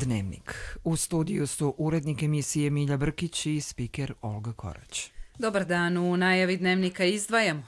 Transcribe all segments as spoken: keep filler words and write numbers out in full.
Dnevnik. U studiju su urednik emisije Milja Brkić i spiker Olga Korać. Dobar dan, u najavi Dnevnika izdvajamo.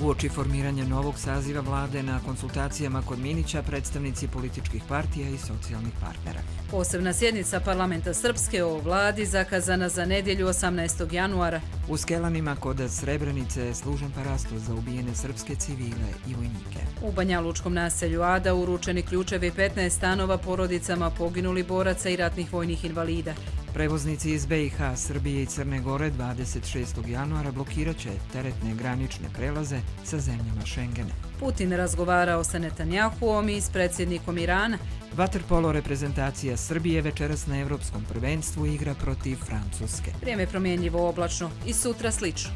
Uoči formiranja novog saziva vlade na konsultacijama kod Minića predstavnici političkih partija i socijalnih partnera. Posebna sjednica parlamenta Srpske o vladi zakazana za nedjelju osamnaestog januara. U Skelanima kod Srebrenice služen parasto za ubijene srpske civile i vojnike. U Banjalučkom naselju Ada uručeni ključevi petnaest stanova porodicama poginuli boraca i ratnih vojnih invalida. Prevoznici iz B i H, Srbije i Crne Gore dvadeset šestog januara blokirat će teretne granične prelaze sa zemljama Šengena. Putin razgovarao sa Netanjahuom i s predsjednikom Irana. Vaterpolo reprezentacija Srbije večeras na Evropskom prvenstvu igra protiv Francuske. Vrijeme promjenjivo oblačno i sutra slično.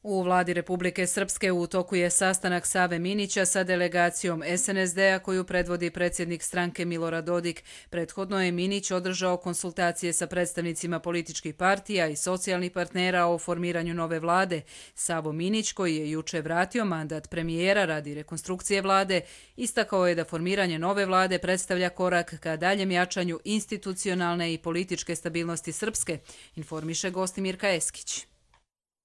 U vladi Republike Srpske u toku je sastanak Save Minića sa delegacijom S N S D-a koju predvodi predsjednik stranke Milorad Dodik. Prethodno je Minić održao konsultacije sa predstavnicima političkih partija i socijalnih partnera o formiranju nove vlade. Savo Minić, koji je juče vratio mandat premijera radi rekonstrukcije vlade, istakao je da formiranje nove vlade predstavlja korak ka daljem jačanju institucionalne i političke stabilnosti Srpske, informiše gosti Mirka Eskić.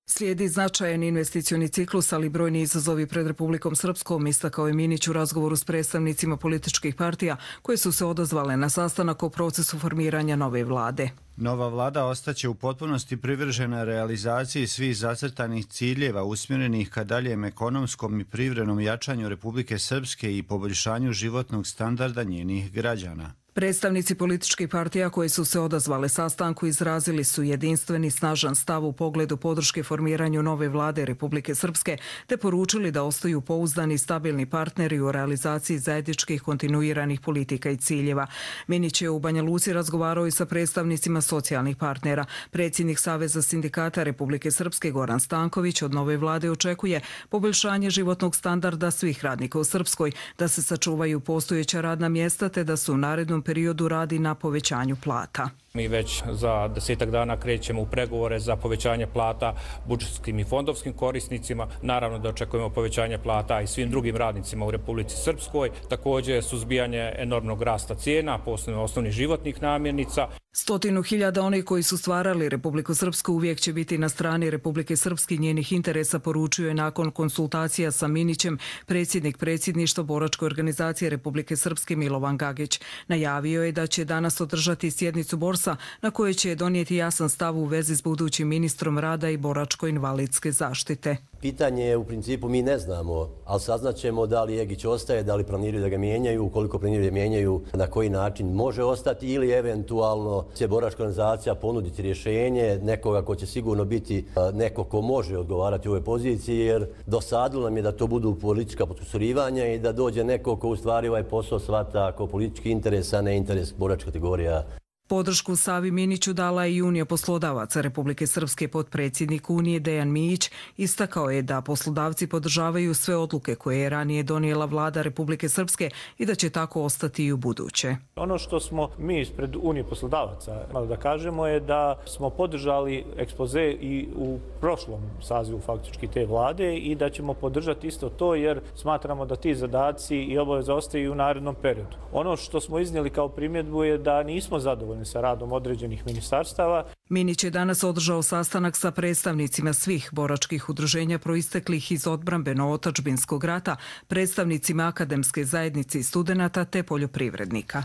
Slijedi značajan investicioni ciklus, ali brojni izazovi pred Republikom Srpskom, istakao je Minić u razgovoru s predstavnicima političkih partija koje su se odazvale na sastanak o procesu formiranja nove vlade. Nova vlada ostaće u potpunosti privržena realizaciji svih zacrtanih ciljeva usmjerenih ka daljem ekonomskom i privrednom jačanju Republike Srpske i poboljšanju životnog standarda njenih građana. Predstavnici političkih partija koji su se odazvale sastanku izrazili su jedinstveni snažan stav u pogledu podrške formiranju nove vlade Republike Srpske te poručili da ostaju pouzdani i stabilni partneri u realizaciji zajedničkih kontinuiranih politika i ciljeva. Minić je u Banja Luci razgovarao i sa predstavnicima socijalnih partnera. Predsjednik Saveza sindikata Republike Srpske Goran Stanković od nove vlade očekuje poboljšanje životnog standarda svih radnika u Srpskoj, da se sačuvaju postojeća radna mjesta te da su u narednom periodu radi na povećanju plata. Mi već za desetak dana krećemo u pregovore za povećanje plata budžetskim i fondovskim korisnicima. Naravno da očekujemo povećanje plata i svim drugim radnicima u Republici Srpskoj. Također suzbijanje enormnog rasta cijena, posebno osnovnih životnih namirnica. Stotinu hiljada onih koji su stvarali Republiku Srpsku uvijek će biti na strani Republike Srpske i njenih interesa, poručio je nakon konsultacija sa Minićem predsjednik predsjedništva boračke organizacije Republike Srpske Milovan Gagić. Najavio je da će danas održati sjednicu Borsa na kojoj će donijeti jasan stav u vezi s budućim ministrom rada i boračko-invalidske zaštite. Pitanje je, u principu mi ne znamo, ali saznaćemo da li Egić ostaje, da li planiraju da ga mijenjaju, ukoliko planiraju da mijenjaju, na koji način može ostati ili eventualno će boračka organizacija ponuditi rješenje nekoga ko će sigurno biti neko ko može odgovarati u ovoj poziciji, jer dosadilo nam je da to budu politička potkusurivanja i da dođe neko ko u stvari ovaj posao shvata kao politički interes, a ne interes boračka kategorija. Podršku Savi Miniću dala i Unija poslodavaca Republike Srpske. Potpredsjednik Unije Dejan Mijić istakao je da poslodavci podržavaju sve odluke koje je ranije donijela vlada Republike Srpske i da će tako ostati i u buduće. Ono što smo mi ispred Unije poslodavaca da kažemo je da smo podržali ekspoze i u prošlom sazivu faktički te vlade i da ćemo podržati isto to jer smatramo da ti zadaci i obaveze ostaju u narednom periodu. Ono što smo iznijeli kao primjedbu je da nismo zadovoljni sa radom određenih ministarstava. Minić je danas održao sastanak sa predstavnicima svih boračkih udruženja proisteklih iz odbrambeno-otačbinskog rata, predstavnicima akademske zajednice i studenata te poljoprivrednika.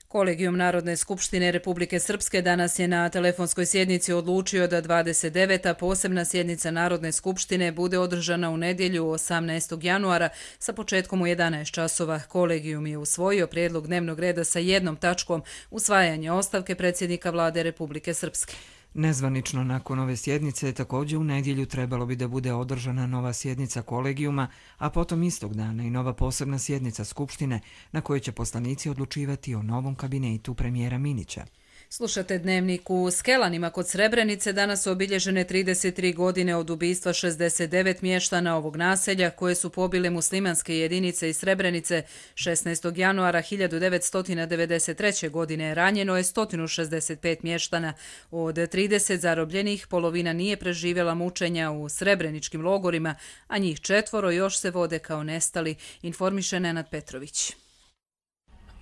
Kolegijum Narodne skupštine Republike Srpske danas je na telefonskoj sjednici odlučio da dvadeset deveta posebna sjednica Narodne skupštine bude održana u nedjelju osamnaestog januara sa početkom u jedanaest časova. Kolegijum je usvojio prijedlog dnevnog reda sa jednom tačkom usvajanje ostavke predsjednika vlade Republike Srpske. Nezvanično nakon ove sjednice također u nedjelju trebalo bi da bude održana nova sjednica kolegijuma, a potom istog dana i nova posebna sjednica Skupštine na kojoj će poslanici odlučivati o novom kabinetu premijera Minića. Slušate Dnevnik. U Skelanima kod Srebrenice danas su obilježene trideset tri godine od ubistva šezdeset devet mještana ovog naselja koje su pobile muslimanske jedinice iz Srebrenice. šesnaestog januara hiljadu devetsto devedeset treće. godine ranjeno je sto šezdeset pet mještana. Od trideset zarobljenih polovina nije preživjela mučenja u srebreničkim logorima, a njih četvoro još se vode kao nestali, informiše Nenad Petrović.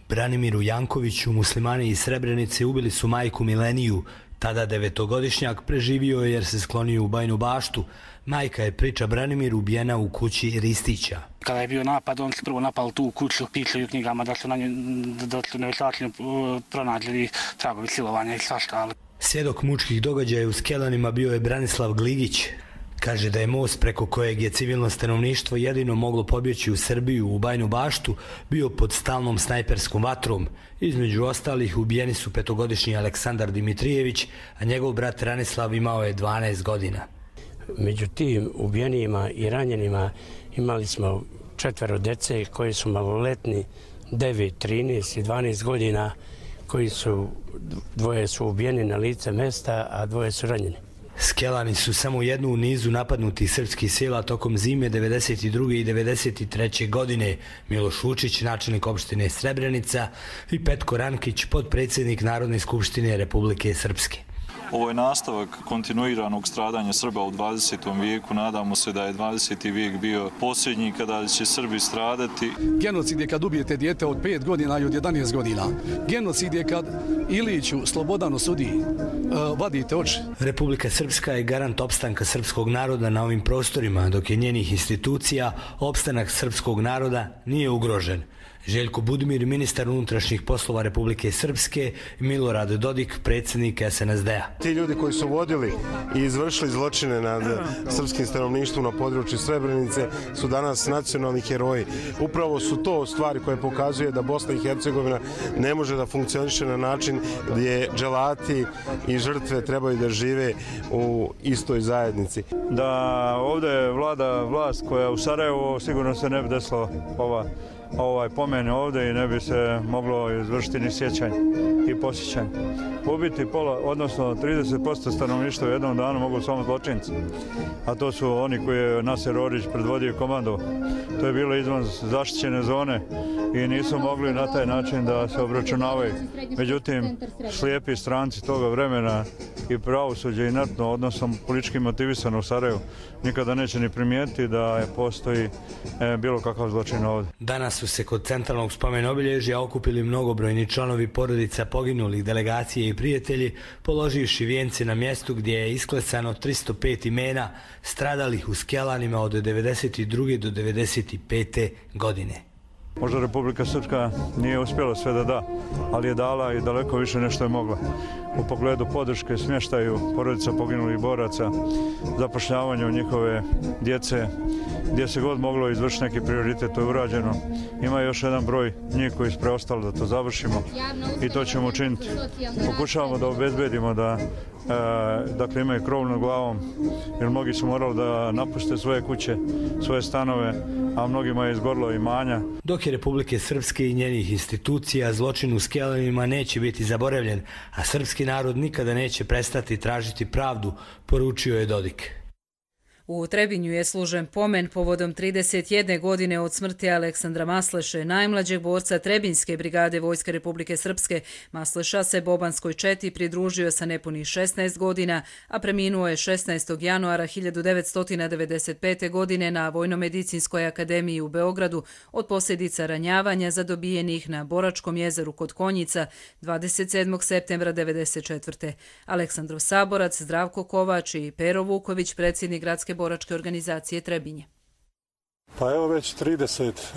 Branimiru Jankoviću muslimani iz Srebrenice ubili su majku Mileniju. Tada devetogodišnjak preživio je jer se sklonio u Bajinu Baštu. Majka je, priča Branimir, ubijena u kući Ristića. Kada je bio napad, on se prvo napali tu kuću, piše u knjigama da su na nju, da su nevjerojatno pronađeni tragovi silovanja i svašta. Svjedok mučkih događaja u Skelanima bio je Branislav Gligić. Kaže da je most preko kojeg je civilno stanovništvo jedino moglo pobjeći u Srbiju u Bajinu Baštu bio pod stalnom snajperskom vatrom. Između ostalih ubijeni su petogodišnji Aleksandar Dimitrijević, a njegov brat Ranislav imao je dvanaest godina. Među tim ubijenima i ranjenima imali smo četvero dece koji su maloletni, devet, trinaest i dvanaest godina, koji su, dvoje su ubijeni na lice mesta, a dvoje su ranjeni. Skelani su samo jednu u nizu napadnutih srpskih sela tokom zime devedeset druge i devedeset treće. godine. Miloš Vučić, načelnik opštine Srebrenica, i Petko Rankić, potpredsjednik Narodne skupštine Republike Srpske. Ovo je nastavak kontinuiranog stradanja Srba u dvadesetom vijeku. Nadamo se da je dvadeseti vijek bio posljednji kada će Srbi stradati. Genocid je kad ubijete dijete od pet godina i od jedanaest godina. Genocid je kad Iliću Slobodanu sudi uh, vadite oči. Republika Srpska je garant opstanka srpskog naroda na ovim prostorima, dok je njenih institucija opstanak srpskog naroda nije ugrožen. Željko Budimir, ministar unutrašnjih poslova Republike Srpske, i Milorad Dodik, predsjednik es en es de a. Ti ljudi koji su vodili i izvršili zločine nad srpskim stanovništvom na području Srebrenice su danas nacionalni heroji. Upravo su to stvari koje pokazuje da Bosna i Hercegovina ne može da funkcioniše na način gdje dželati i žrtve trebaju da žive u istoj zajednici. Da ovdje vlada vlast koja u Sarajevu, sigurno se ne bi desilo ova ovaj pomen ovdje i ne bi se moglo izvršiti ni sjećanje i posjećanje. Ubiti pola, odnosno trideset posto stanovništva u jednom danu mogu samo zločinci, a to su oni koji je Naser Orić predvodio komando. To je bilo izvan zaštićene zone i nisu mogli na taj način da se obračunavaju. Međutim, slijepi stranci toga vremena i pravosuđe inertno, odnosno politički motivisano u Sarajevu, nikada neće ni primijetiti da postoji e, bilo kakav zločin ovdje. Danas su se kod centralnog spomen obilježja okupili mnogobrojni članovi porodica poginulih, delegacije i prijatelji, položivši vijence na mjestu gdje je isklesano tristo pet imena stradalih u Skelanima od devedeset druge do devedeset pete. godine. Možda Republika Srpska nije uspjela sve da da, ali je dala i daleko više nešto je mogla. U pogledu podrške smještaju porodica poginulih boraca, zapošljavanju njihove djece, gdje se god moglo izvršiti neki prioritet, to je urađeno. Ima još jedan broj njih koji su preostali da to završimo i to ćemo učiniti. Pokušavamo da obezbedimo da E, dakle imaju krov nad glavom, jer mnogi su morali da napuste svoje kuće, svoje stanove, a mnogima je izgorilo imanja. Dok je Republike Srpske i njenih institucija, zločin u Skelanima neće biti zaboravljen, a srpski narod nikada neće prestati tražiti pravdu, poručio je Dodik. U Trebinju je služen pomen povodom trideset jedne godine od smrti Aleksandra Masleše, najmlađeg borca Trebinjske brigade Vojske Republike Srpske. Masleša se bobanskoj četi pridružio sa nepunih šesnaest godina, a preminuo je šesnaestog januara hiljadu devetsto devedeset pete. godine na Vojnomedicinskoj akademiji u Beogradu od posljedica ranjavanja zadobijenih na Boračkom jezeru kod Konjica dvadeset sedmog septembra devedeset četvrte. Aleksandrov saborac Zdravko Kovač i Pero Vuković, predsjednik gradske boračke organizacije Trebinje. Pa evo već trideset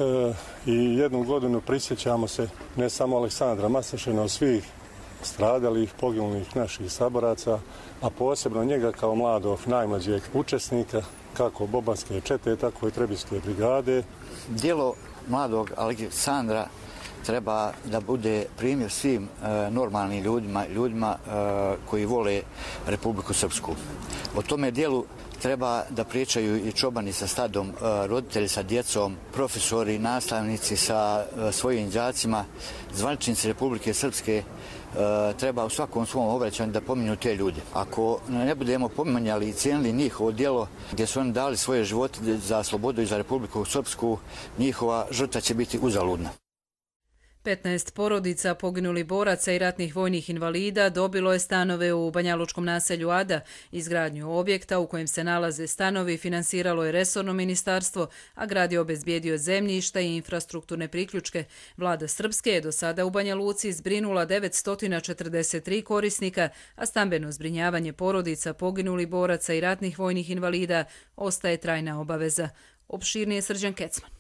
jednu godinu prisjećamo se ne samo Aleksandra Masleše, no svih stradalih, poginulih naših saboraca, a posebno njega kao mladog, najmlađeg učesnika, kako bobanske čete, tako i Trebinjske brigade. Djelo mladog Aleksandra treba da bude primjer svim e, normalnim ljudima, ljudima e, koji vole Republiku Srpsku. O tome djelu treba da pričaju i čobani sa stadom, roditelji sa djecom, profesori, nastavnici sa svojim đacima, zvaničnici Republike Srpske, treba u svakom svom obraćanju da pominju te ljude. Ako ne budemo pominjali i cijenili njihovo djelo gdje su oni dali svoje živote za slobodu i za Republiku Srpsku, njihova žrtva će biti uzaludna. petnaest porodica poginulih boraca i ratnih vojnih invalida dobilo je stanove u banjalučkom naselju Ada. Izgradnju objekta u kojem se nalaze stanovi finansiralo je resorno ministarstvo, a grad je obezbijedio zemljišta i infrastrukturne priključke. Vlada Srpske je do sada u Banja Luci zbrinula devetsto četrdeset tri korisnika, a stambeno zbrinjavanje porodica poginulih boraca i ratnih vojnih invalida ostaje trajna obaveza. Opširnije Srđan Kecman.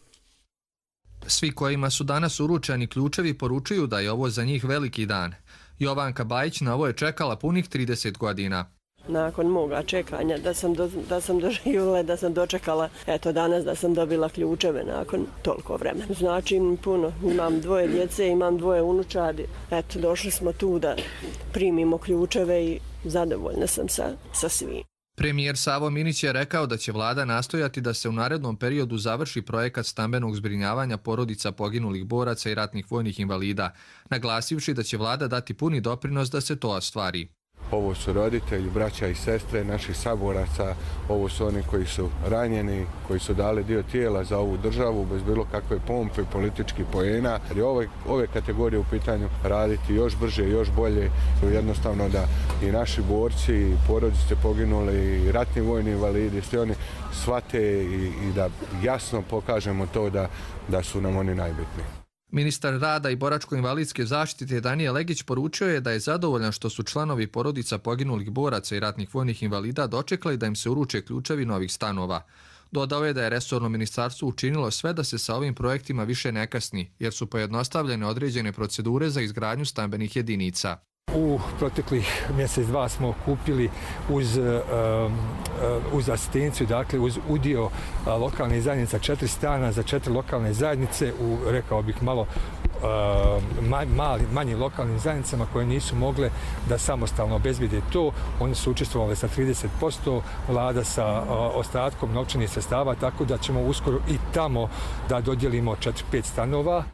Svi kojima su danas uručeni ključevi poručuju da je ovo za njih veliki dan. Jovanka Bajić na ovo je čekala punih trideset godina. Nakon moga čekanja da sam, do, da sam doživjela, da sam dočekala, eto danas da sam dobila ključeve nakon toliko vremena. Znači puno, imam dvoje djece, imam dvoje unučadi. Eto, došli smo tu da primimo ključeve i zadovoljna sam sa, sa svim. Premijer Savo Minić je rekao da će vlada nastojati da se u narednom periodu završi projekat stambenog zbrinjavanja porodica poginulih boraca i ratnih vojnih invalida, naglasivši da će vlada dati puni doprinos da se to ostvari. Ovo su roditelji, braća i sestre naših saboraca, ovo su oni koji su ranjeni, koji su dali dio tijela za ovu državu bez bilo kakve pompe i političkih poena. Jer je ove, ove kategorije u pitanju raditi još brže, još bolje, jednostavno da i naši borci, i porodice poginuli, i ratni vojni invalidi, svi oni shvate i, i da jasno pokažemo to da, da su nam oni najbitniji. Ministar rada i boračko-invalidske zaštite Danijel Legić poručio je da je zadovoljan što su članovi porodica poginulih boraca i ratnih vojnih invalida dočekali da im se uruče ključevi novih stanova. Dodao je da je resorno ministarstvo učinilo sve da se sa ovim projektima više ne kasni, jer su pojednostavljene određene procedure za izgradnju stambenih jedinica. U proteklih mjesec dva smo kupili uz, uz asistenciju, dakle uz udio lokalnih zajednica četiri stana za četiri lokalne zajednice u, rekao bih, malo mali, manjim lokalnim zajednicama koje nisu mogle da samostalno obezbijede to. Oni su učestvovali sa trideset posto, vlada sa ostatkom novčanih sredstava, tako da ćemo uskoro i tamo da dodijelimo četiri pet stanova.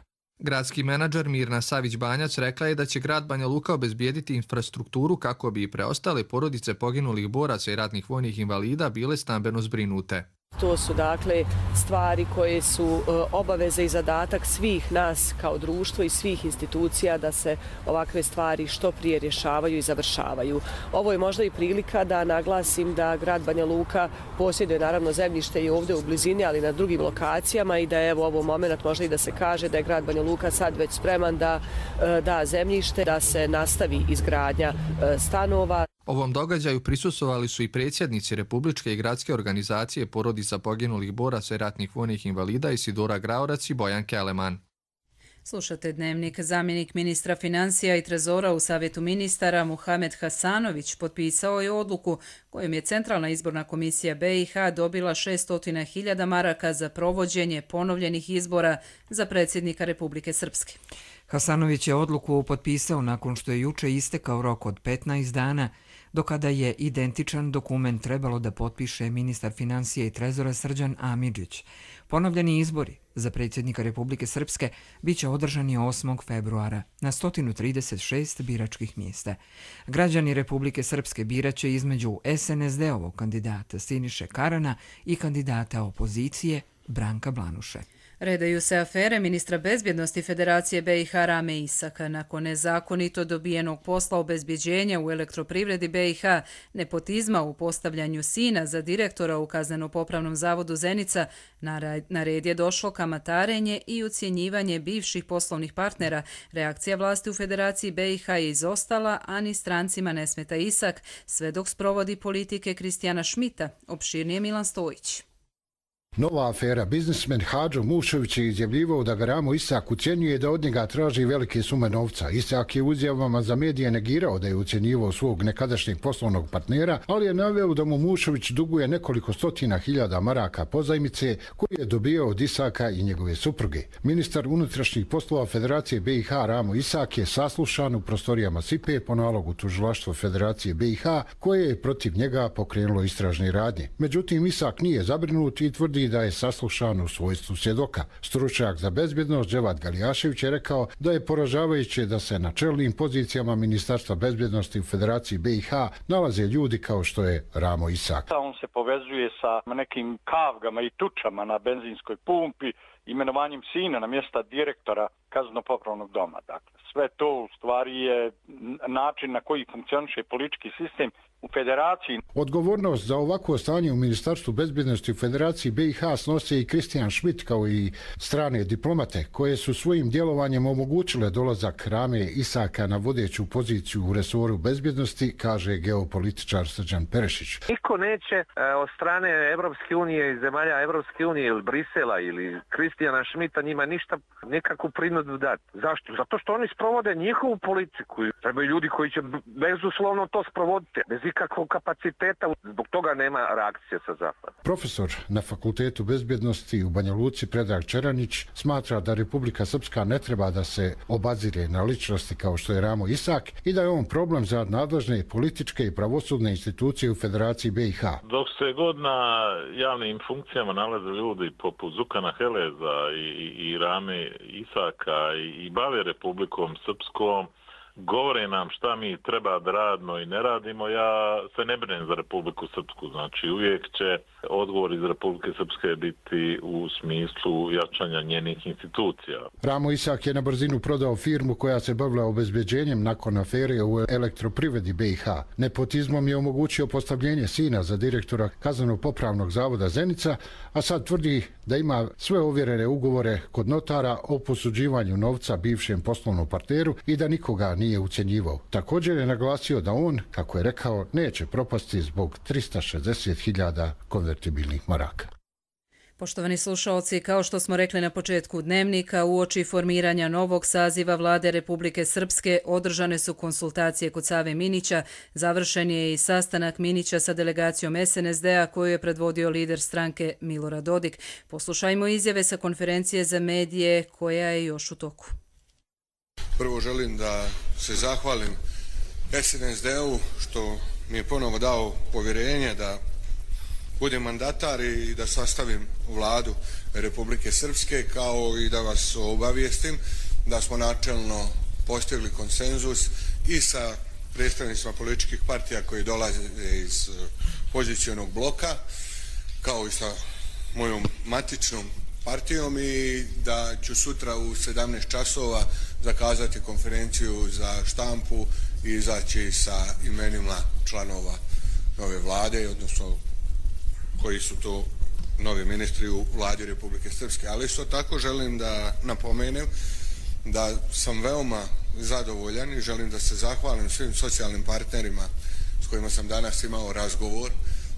Gradski menadžer Mirna Savić-Banjac rekla je da će grad Banja Luka obezbijediti infrastrukturu kako bi i preostale porodice poginulih boraca i ratnih vojnih invalida bile stambeno zbrinute. To su dakle stvari koje su obaveze i zadatak svih nas kao društvo i svih institucija da se ovakve stvari što prije rješavaju i završavaju. Ovo je možda i prilika da naglasim da grad Banja Luka posjeduje naravno zemljište i ovdje u blizini, ali na drugim lokacijama i da je evo ovo moment možda i da se kaže da je grad Banja Luka sad već spreman da da zemljište, da se nastavi izgradnja stanova. Ovom događaju prisustvovali su i predsjednici Republičke i gradske organizacije porodica poginulih boraca i ratnih vojnih invalida Isidora Graorac i Bojan Keleman. Slušate Dnevnik. Zamjenik ministra financija i trezora u Savjetu ministara Muhamed Hasanović potpisao je odluku kojom je Centralna izborna komisija be i ha dobila šessto hiljada maraka za provođenje ponovljenih izbora za predsjednika Republike Srpske. Hasanović je odluku potpisao nakon što je juče istekao rok od petnaest dana, do kada je identičan dokument trebalo da potpiše ministar financija i trezora Srđan Amidžić. Ponovljeni izbori za predsjednika Republike Srpske biće održani osmog februara na sto trideset šest biračkih mjesta. Građani Republike Srpske biraće između es en es de-ovog kandidata Siniše Karana i kandidata opozicije Branka Blanuše. Redaju se afere ministra bezbjednosti Federacije be i ha Rame Isaka. Nakon nezakonito dobijenog posla obezbjeđenja u elektroprivredi be i ha, nepotizma u postavljanju sina za direktora u Kazneno-popravnom zavodu Zenica, na red je došlo kamatarenje i ucjenjivanje bivših poslovnih partnera. Reakcija vlasti u Federaciji be i ha je izostala, a ni strancima ne smeta Isak, sve dok sprovodi politike Kristijana Šmita. Opširnije Milan Stojić. Nova afera. Biznismen Hadžo Mušović je izjavljivao da ga Ramo Isak ucjenjuje da od njega traži velike sume novca. Isak je u izjavama za medije negirao da je ucjenjivao svog nekadašnjeg poslovnog partnera, ali je naveo da mu Mušović duguje nekoliko stotina hiljada maraka pozajmice koje je dobio od Isaka i njegove supruge. Ministar unutrašnjih poslova Federacije be i ha Ramo Isak je saslušan u prostorijama Sipe po nalogu tužilaštva Federacije be i ha koje je protiv njega pokrenulo istražne radnje. Međutim, Isak nije zabrinut i tvrdi tvrdi da je saslušan u svojstvu svjedoka. Stručnjak za bezbjednost Dževad Galijašević je rekao da je poražavajuće da se na čelnim pozicijama Ministarstva bezbjednosti u Federaciji B i H nalaze ljudi kao što je Ramo Isak. On se povezuje sa nekim kavgama i tučama na benzinskoj pumpi, imenovanjem sina na mjesta direktora kazneno-popravnog doma. Dakle, sve to u stvari je način na koji funkcioniše politički sistem u federaciji. Odgovornost za ovakvo stanje u Ministarstvu bezbjednosti u Federaciji B i H snose i Kristijan Schmidt kao i strane diplomate koje su svojim djelovanjem omogućile dolazak Rame Isaka na vodeću poziciju u resoru bezbjednosti, kaže geopolitičar Srđan Perešić. Niko neće od strane Evropske unije i zemalja Evropske unije ili Brisela ili Kristijana Schmidta njima ništa, nikakvu prinudu dati. Zašto? Zato što oni sprovode njihovu politiku. Trebaju ljudi koji će bezuslovno to sprovoditi, bez ikakvog kapaciteta, zbog toga nema reakcije sa zapada. Profesor na Fakultetu bezbjednosti u Banja Luci Predrag Čeranić smatra da Republika Srpska ne treba da se obazire na ličnosti kao što je Ramo Isak i da je on problem za nadležne političke i pravosudne institucije u Federaciji B i H. Dok se god na javnim funkcijama nalaze ljudi poput Zukana Heleza i, i Rame Isaka i, i bave Republikom Srpskom, govore nam šta mi treba da radimo i ne radimo, ja se ne brinem za Republiku Srpsku. Znači uvijek će odgovor iz Republike Srpske biti u smislu jačanja njenih institucija. Ramo Isak je na brzinu prodao firmu koja se bavila obezbeđenjem nakon afere u elektroprivredi B i H. Nepotizmom je omogućio postavljenje sina za direktora Kazneno-popravnog zavoda Zenica, a sad tvrdi da ima sve ovjerene ugovore kod notara o posuđivanju novca bivšem poslovnom partneru i da nikoga nije ucjenjivao. Također je naglasio da on, kako je rekao, neće propasti zbog trista šezdeset hiljada konvertibilnih maraka. Poštovani slušalci, kao što smo rekli na početku dnevnika, uoči formiranja novog saziva vlade Republike Srpske održane su konsultacije kod Save Minića, završen je i sastanak Minića sa delegacijom S N S D-a koju je predvodio lider stranke Milorad Dodik. Poslušajmo izjave sa konferencije za medije koja je još u toku. Prvo želim da se zahvalim S N S D-u što mi je ponovo dao povjerenje da budem mandatar i da sastavim vladu Republike Srpske, kao i da vas obavijestim da smo načelno postigli konsenzus i sa predstavnicima političkih partija koji dolaze iz pozicionog bloka, kao i sa mojom matičnom partijom, i da ću sutra u sedamnaest časova zakazati konferenciju za štampu i izaći sa imenima članova nove vlade, odnosno koji su to novi ministri u vladi Republike Srpske. Ali isto tako želim da napomenem da sam veoma zadovoljan i želim da se zahvalim svim socijalnim partnerima s kojima sam danas imao razgovor,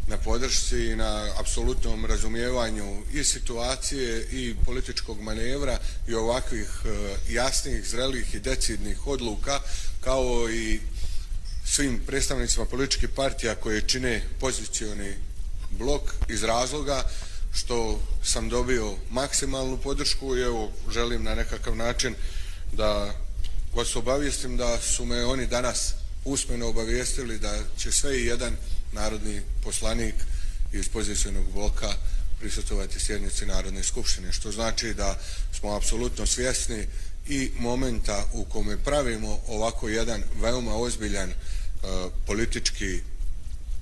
na podršci i na apsolutnom razumijevanju i situacije i političkog manevra i ovakvih jasnih, zrelih i decidnih odluka, kao i svim predstavnicima političkih partija koje čine pozicioni blok, iz razloga što sam dobio maksimalnu podršku i evo želim na nekakav način da vas obavijestim da su me oni danas usmeno obavijestili da će sve i jedan narodni poslanik iz pozicionog bloka prisutovati sjednici Narodne skupštine, što znači da smo apsolutno svjesni i momenta u kome pravimo ovako jedan veoma ozbiljan uh, politički,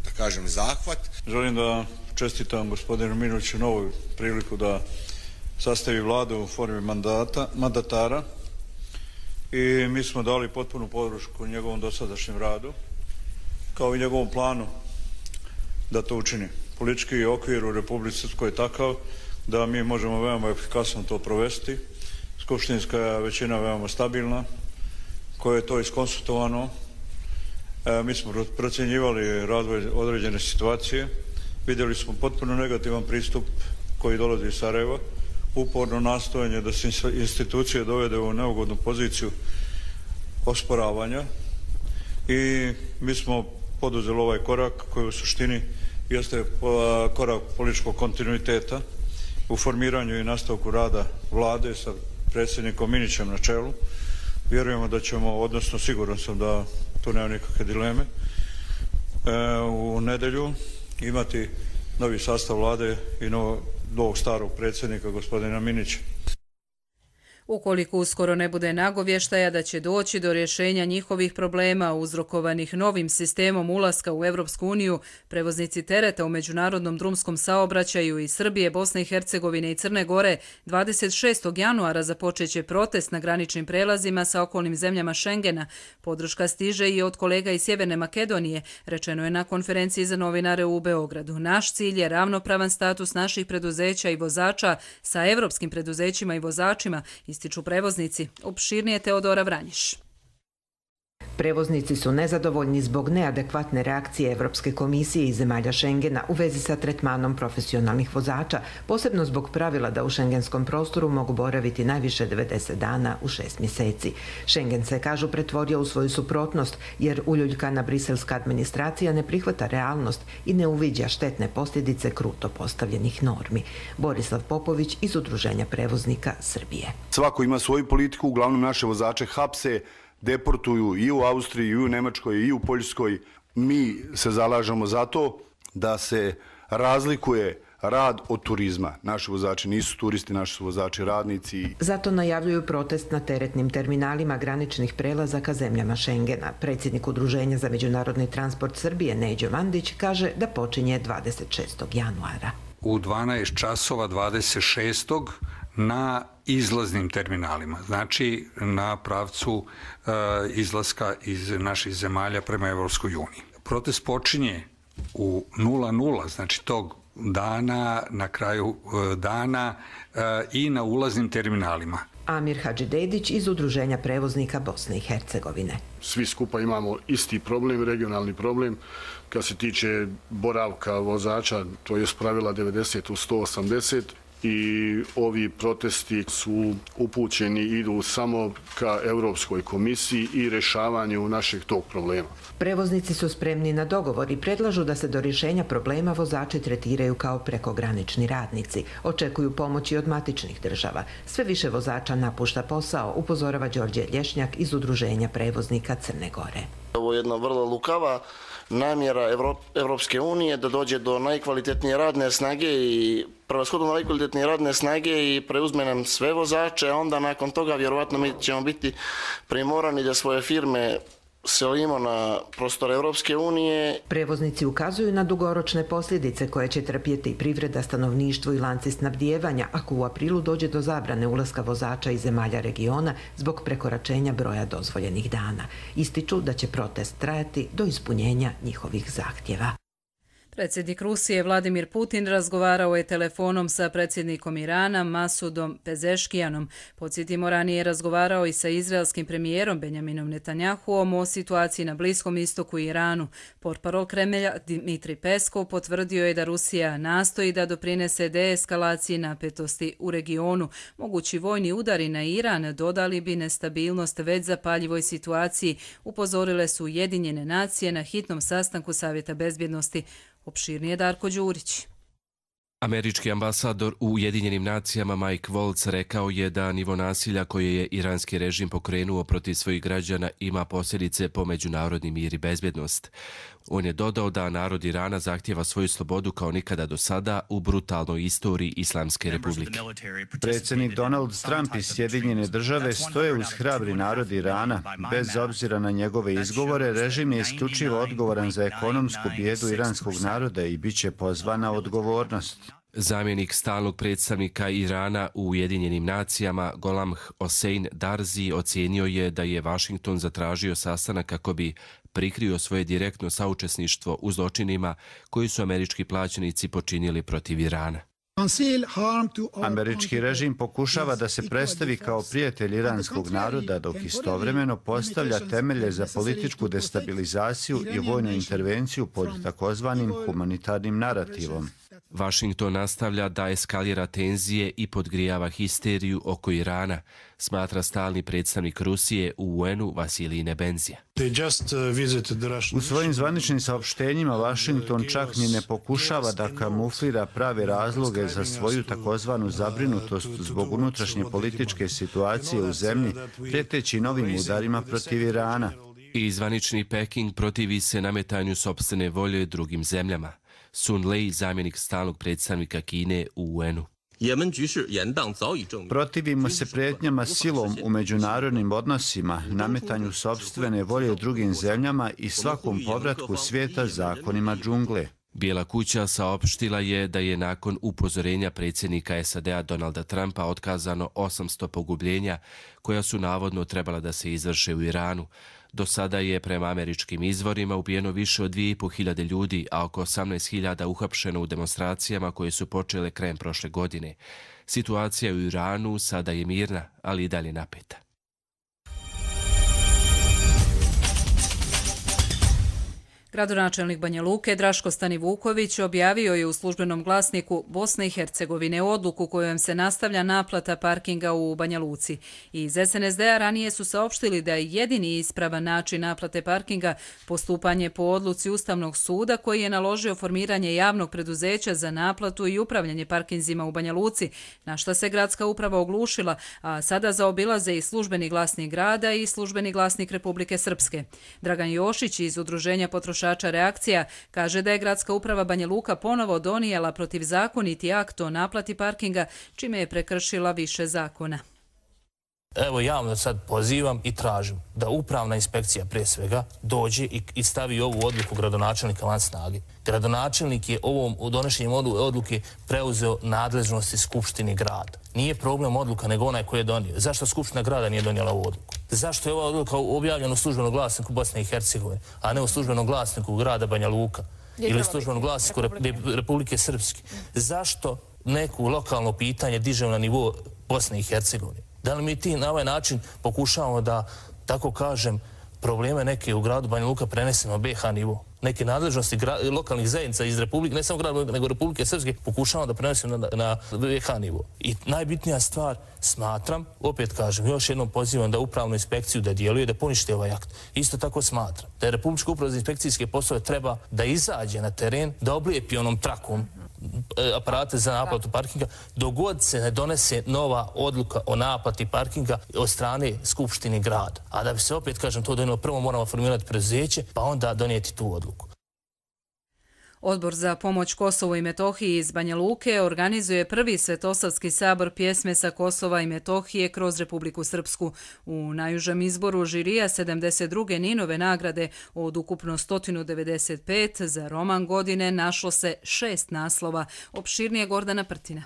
da kažem, zahvat. Želim da čestitam gospodinu Minoviću novu priliku da sastavi vladu u formi mandata, mandatara, i mi smo dali potpunu podršku njegovom dosadašnjem radu, kao i njegovom planu da to učini. Politički okvir u Republici Srpskoj je takav da mi možemo veoma efikasno to provesti. Skupštinska većina je veoma stabilna, koja je to iskonsultovano. E, mi smo procjenjivali razvoj određene situacije. Vidjeli smo potpuno negativan pristup koji dolazi iz Sarajeva, uporno nastojanje da se institucije dovede u neugodnu poziciju osporavanja, i mi smo poduzeli ovaj korak koji u suštini jeste korak političkog kontinuiteta u formiranju i nastavku rada vlade sa predsjednikom Minićem na čelu. Vjerujemo da ćemo, odnosno siguran sam da tu nema nikakve dileme, u nedjelju imati novi sastav vlade i novo, ovog starog predsjednika, gospodina Minića. Ukoliko uskoro ne bude nagovještaja da će doći do rješenja njihovih problema uzrokovanih novim sistemom ulaska u Evropsku uniju, prevoznici tereta u međunarodnom drumskom saobraćaju iz Srbije, Bosne i Hercegovine i Crne Gore dvadeset šestog januara započeće protest na graničnim prelazima sa okolnim zemljama Šengena. Podrška stiže i od kolega iz Sjeverne Makedonije, rečeno je na konferenciji za novinare u Beogradu. Naš cilj je ravnopravan status naših preduzeća i vozača sa evropskim preduzećima i vozačima, ističu prevoznici. Opširnije Teodora Vranjiš. Prevoznici su nezadovoljni zbog neadekvatne reakcije Evropske komisije i zemalja Šengena u vezi sa tretmanom profesionalnih vozača, posebno zbog pravila da u šengenskom prostoru mogu boraviti najviše devedeset dana u šest mjeseci. Šengen se, kažu, pretvorio u svoju suprotnost jer uljuljkana briselska administracija ne prihvata realnost i ne uviđa štetne posljedice kruto postavljenih normi. Borislav Popović iz Udruženja prevoznika Srbije. Svako ima svoju politiku, uglavnom naše vozače hapse, deportuju i u Austriji, i u Nemačkoj, i u Poljskoj. Mi se zalažemo za to da se razlikuje rad od turizma. Naši vozači nisu turisti, naši su vozači radnici. Zato najavljuju protest na teretnim terminalima graničnih prelazaka zemljama Šengena. Predsjednik Udruženja za međunarodni transport Srbije, Neđo Vandić, kaže da počinje dvadeset šestog januara. U dvanaest časova dvadeset šestog na izlaznim terminalima, znači na pravcu e, izlaska iz naših zemalja prema Evropskoj uniji. Protest počinje u nula nula, znači tog dana, na kraju e, dana e, i na ulaznim terminalima. Amir Hadžidedić iz Udruženja prevoznika Bosne i Hercegovine. Svi skupa imamo isti problem, regionalni problem. Kad se tiče boravka vozača, to je pravila devedeset u sto osamdeset. I ovi protesti su upućeni, idu samo ka Europskoj komisiji i rješavanju našeg tog problema. Prevoznici su spremni na dogovor i predlažu da se do rješenja problema vozači tretiraju kao prekogranični radnici. Očekuju pomoći od matičnih država. Sve više vozača napušta posao, upozorava Đorđe Lješnjak iz Udruženja prevoznika Crne Gore. Ovo je jedna vrlo lukava namjera Evropske unije da dođe do najkvalitetnije radne snage i prevashodno najkvalitetnije radne snage i preuzme nam sve vozače, a onda nakon toga vjerovatno mi ćemo biti primorani da svoje firme selimo na prostor Evropske unije. Prevoznici ukazuju na dugoročne posljedice koje će trpjeti privreda, stanovništvo i lanci snabdijevanja ako u aprilu dođe do zabrane ulaska vozača iz zemalja regiona zbog prekoračenja broja dozvoljenih dana. Ističu da će protest trajati do ispunjenja njihovih zahtjeva. Predsjednik Rusije Vladimir Putin razgovarao je telefonom sa predsjednikom Irana Masudom Pezeškijanom. Podsjetimo, ranije je razgovarao i sa izraelskim premijerom Benjaminom Netanjahuom o situaciji na Bliskom istoku i Iranu. Portparol Kremlja Dmitri Peskov potvrdio je da Rusija nastoji da doprinese deeskalaciji napetosti u regionu. Mogući vojni udari na Iran dodali bi nestabilnost već zapaljivoj situaciji, upozorile su Ujedinjene nacije na hitnom sastanku Savjeta bezbjednosti. Opširnije Darko Đurić. Američki ambasador u Ujedinjenim nacijama Mike Waltz rekao je da nivo nasilja koje je iranski režim pokrenuo protiv svojih građana ima posljedice po međunarodni mir i bezbjednost. On je dodao da narod Irana zahtjeva svoju slobodu kao nikada do sada u brutalnoj istoriji Islamske republike. Predsjednik Donald Trump i Sjedinjene države stoje uz hrabri narod Irana. Bez obzira na njegove izgovore, režim je isključivo odgovoran za ekonomsku bijedu iranskog naroda i bit će pozvan na odgovornost. Zamjenik stalnog predstavnika Irana u Ujedinjenim nacijama Golam Hossein Darzi ocijenio je da je Washington zatražio sastanak kako bi prikrio svoje direktno saučesništvo u zločinima koji su američki plaćenici počinili protiv Irana. Američki režim pokušava da se predstavi kao prijatelj iranskog naroda, dok istovremeno postavlja temelje za političku destabilizaciju i vojnu intervenciju pod takozvanim humanitarnim narativom. Washington nastavlja da eskalira tenzije i podgrijava histeriju oko Irana, smatra stalni predstavnik Rusije u U N-u Vasilij Nebenzija. U svojim zvaničnim saopštenjima Washington čak ni ne pokušava da kamuflira prave razloge za svoju takozvanu zabrinutost zbog unutrašnje političke situacije u zemlji, prijeteći novim udarima protiv Irana. I zvanični Peking protivi se nametanju sopstvene volje drugim zemljama. Sun Lei, zamjenik stalnog predstavnika Kine u U N-u. Protivimo se prijetnjama silom u međunarodnim odnosima, nametanju sopstvene volje drugim zemljama i svakom povratku svijeta zakonima džungle. Bijela kuća saopštila je da je nakon upozorenja predsjednika S A D-a Donalda Trumpa otkazano osamsto pogubljenja koja su navodno trebala da se izvrše u Iranu. Do sada je prema američkim izvorima ubijeno više od dvije i pol hiljade ljudi, a oko osamnaest hiljada uhapšeno u demonstracijama koje su počele krajem prošle godine. Situacija u Iranu sada je mirna, ali i dalje napeta. Gradonačelnik Banja Luke Draško Stanivuković objavio je u službenom glasniku Bosne i Hercegovine odluku kojom se nastavlja naplata parkinga u Banja Luci. Iz S N S D-a ranije su saopštili da je jedini ispravan način naplate parkinga postupanje po odluci Ustavnog suda koji je naložio formiranje javnog preduzeća za naplatu i upravljanje parkinzima u Banja Luci, na što se gradska uprava oglušila, a sada zaobilaze i službeni glasnik grada i službeni glasnik Republike Srpske. Dragan Jošić iz Udruženja potrošača Reakcija kaže da je gradska uprava Banja Luka ponovo donijela protivzakoniti akt o naplati parkinga, čime je prekršila više zakona. Evo javno sad pozivam i tražim da upravna inspekcija prije svega dođe i stavi ovu odluku gradonačelnika van snage. Gradonačelnik je ovom donošenjem odluke preuzeo nadležnosti Skupštini grada. Nije problem odluka nego onaj koji je donio. Zašto Skupština grada nije donijela ovu odluku? Zašto je ova odluka objavljena u službenom glasniku Bosne i Hercegovine, a ne u službenom glasniku grada Banja Luka ili službenom glasniku Republike Srpske? Zašto neko lokalno pitanje dižemo na nivo Bosne i Hercegovine? Da li mi ti na ovaj način pokušavamo da, tako kažem, probleme neke u gradu Banja Luka prenesemo na B H nivo? Neke nadležnosti lokalnih zajednica iz Republike, ne samo grada, nego Republike Srpske, pokušavamo da prenesemo na, na B H nivo. I najbitnija stvar, smatram, opet kažem, još jednom pozivam da upravnu inspekciju da djeluje, da ponište ovaj akt. Isto tako smatram da je Republička uprava za inspekcijske poslove treba da izađe na teren, da oblijepi onom trakom aparate za naplatu parkinga, dogod se ne donese nova odluka o naplati parkinga od strane Skupštine grada. A da bi se opet, kažem, to donijelo, prvo moramo formirati preduzeće, pa onda donijeti tu odluku. Odbor za pomoć Kosovu i Metohiji iz Banja Luke organizuje prvi Svetosavski sabor pjesme sa Kosova i Metohije kroz Republiku Srpsku. U najužem izboru žirija sedamdeset druge Ninove nagrade od ukupno sto devedeset pet za roman godine našlo se šest naslova. Opširnije Gordana Prtina.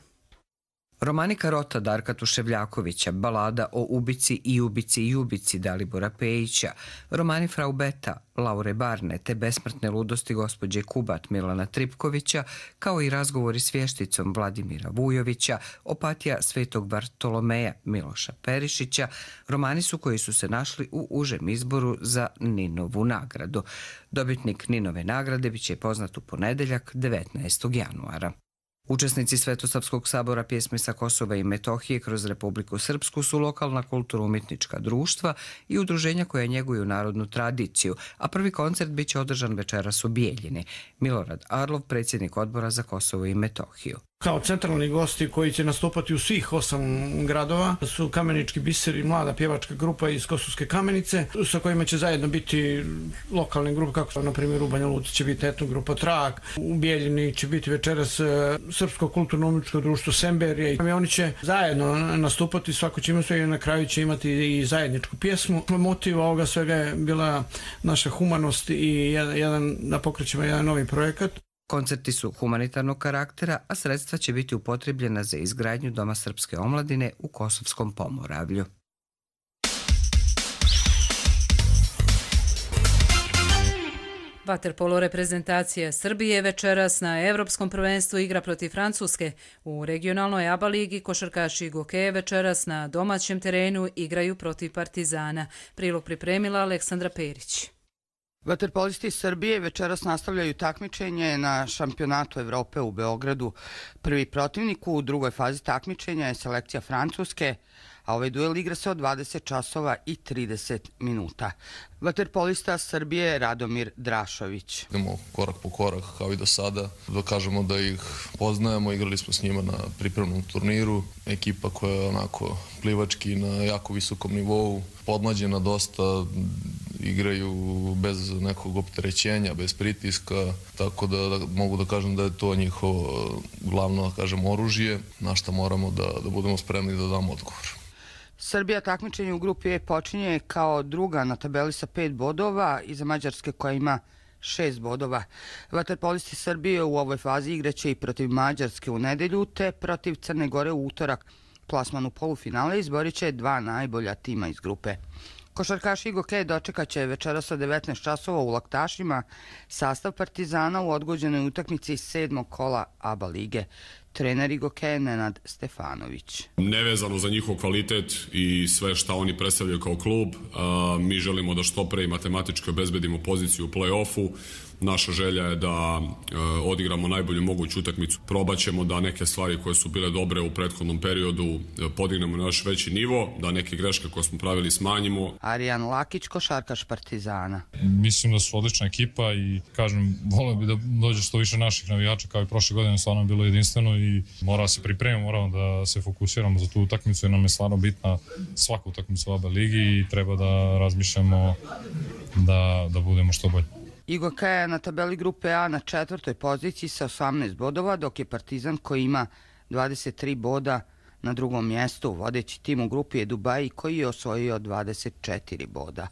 Romani Karota Darka Tuševljakovića, balada o ubici i ubici i ubici Dalibora Pejića, romani Frau Beta, Laure Barne te besmrtne ludosti gospođe Kubat Milana Tripkovića, kao i razgovori s vješticom Vladimira Vujovića, opatija Svetog Bartolomeja Miloša Perišića, romani su koji su se našli u užem izboru za Ninovu nagradu. Dobitnik Ninove nagrade biće poznat u ponedeljak devetnaestog januara. Učesnici Svetosavskog sabora pjesme sa Kosova i Metohije kroz Republiku Srpsku su lokalna kulturno-umjetnička društva i udruženja koja njeguju narodnu tradiciju, a prvi koncert biće održan večeras u Bijeljini. Milorad Arlov, predsjednik odbora za Kosovo i Metohiju. Kao centralni gosti koji će nastupati u svih osam gradova su Kamenički biser i mlada pjevačka grupa iz Kosovske Kamenice, sa kojima će zajedno biti lokalne grupe, kako na primjer u Banja Luci će biti etno grupa Trak, u Bijeljini će biti večeras Srpsko kulturno-umjetničko društvo Semberije. Oni će zajedno nastupati, svako će imati i na kraju će imati i zajedničku pjesmu. Motiv ovoga svega je bila naša humanost i jedan, da pokrećemo jedan novi projekat. Koncerti su humanitarnog karaktera, a sredstva će biti upotrebljena za izgradnju Doma srpske omladine u Kosovskom Pomoravlju. Vaterpolo reprezentacija Srbije večeras na Evropskom prvenstvu igra protiv Francuske. U regionalnoj A B A ligi košarkaši Gokeje večeras na domaćem terenu igraju protiv Partizana. Prilog pripremila Aleksandra Perić. Vaterpolisti Srbije večeras nastavljaju takmičenje na šampionatu Evrope u Beogradu. Prvi protivnik u drugoj fazi takmičenja je selekcija Francuske, a ovaj duel igra se od dvadeset časova i trideset minuta. Vaterpolista Srbije Radomir Drašović. Idemo korak po korak kao i do sada, da kažemo da ih poznajemo, igrali smo s njima na pripremnom turniru. Ekipa koja je onako plivački na jako visokom nivou, podmlađena dosta, igraju bez nekog opterećenja, bez pritiska, tako da, da mogu da kažem da je to njihovo glavno, da kažem, oružje, na što moramo da, da budemo spremni da damo odgovor. Srbija takmičenje u grupi E počinje kao druga na tabeli sa pet bodova iza Mađarske koja ima šest bodova. Vaterpolisti Srbije u ovoj fazi igraće i protiv Mađarske u nedelju te protiv Crne Gore u utorak. Plasman u polufinale izborit će dva najbolja tima iz grupe. Košarkaši Igokej dočekat će večeras od devetnaest časova u Laktašima sastav Partizana u odgođenoj utakmici sedmog kola A B A lige. Trener Igokeja Nenad Stefanović. Nevezano za njihov kvalitet i sve šta oni predstavljaju kao klub, mi želimo da što pre i matematički obezbedimo poziciju u play-offu. Naša želja je da odigramo najbolju moguću utakmicu. Probaćemo da neke stvari koje su bile dobre u prethodnom periodu podignemo na još veći nivo, da neke greške koje smo pravili smanjimo. Arijan Lakić, košarkaš Partizana. Mislim da su odlična ekipa i kažem, volio bi da dođe što više naših navijača kao i prošle godine, stvarno je bilo jedinstveno i mora se pripremiti, moramo da se fokusiramo za tu utakmicu jer nam je stvarno bitna svaka utakmica u A B A ligi i treba da razmišljamo da, da budemo što bolji. Igokej je na tabeli grupe A na četvrtoj poziciji sa osamnaest bodova, dok je Partizan koji ima dvadeset tri boda na drugom mjestu. Vodeći tim u grupi je Dubai koji je osvojio dvadeset četiri boda.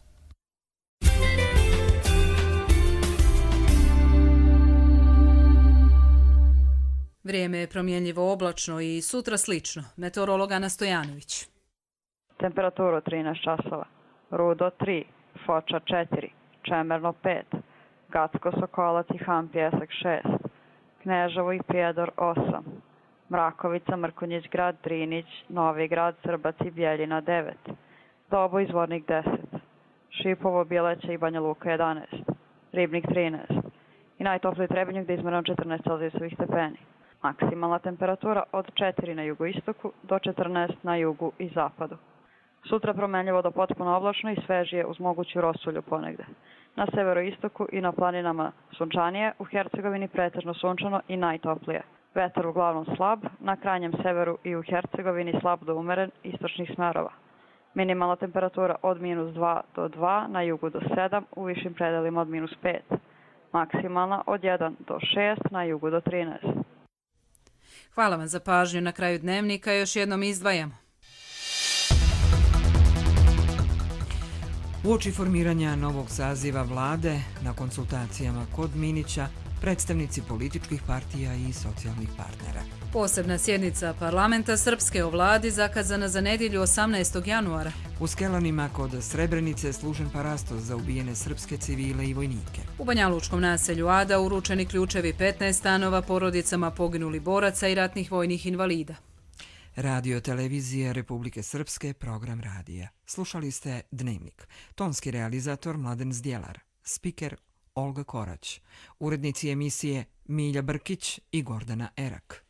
Vrijeme je promjenljivo oblačno i sutra slično. Meteorolog Ana Stojanović. Temperaturu trinaest časova. Rudo tri, Foča četiri, Čemerno pet, Gacko, Sokolac i Han Pjesak šest, Kneževo i Prijedor osam, Mrakovica, Mrkonjić Grad, Drinić, Novi Grad, Srbac i Bjeljina devet, Dobo i Zvornik deset, Šipovo, Bjeleća i Banja Luka jedanaest, Ribnik trinaest i najtopliji Trebinje gdje izmjereno četrnaest celzijusovih stepeni. Maksimalna temperatura od četiri na jugoistoku do četrnaest na jugu i zapadu. Sutra promenljivo do potpuno oblačno i svežije uz moguću rosulju ponegde. Na severoistoku i na planinama sunčanije, u Hercegovini pretežno sunčano i najtoplije. Vetar uglavnom slab, na krajnjem severu i u Hercegovini slab do umeren istočnih smerova. Minimalna temperatura od minus dva do dva, na jugu do sedam, u višim predelima od minus pet. Maksimalna od jedan do šest, na jugu do trinaest. Hvala vam za pažnju. Na kraju dnevnika još jednom izdvajamo. Uoči formiranja novog saziva vlade, na konsultacijama kod Minića, predstavnici političkih partija i socijalnih partnera. Posebna sjednica parlamenta Srpske o vladi zakazana za nedjelju osamnaestog januara. U Skelanima kod Srebrenice služen parastos za ubijene srpske civile i vojnike. U Banjalučkom naselju Ada uručeni ključevi petnaest stanova porodicama poginuli boraca i ratnih vojnih invalida. Radio televizije Republike Srpske, program radija. Slušali ste Dnevnik. Tonski realizator Mladen Zdjelar. Spiker Olga Korać. Urednici emisije Milja Brkić i Gordana Erak.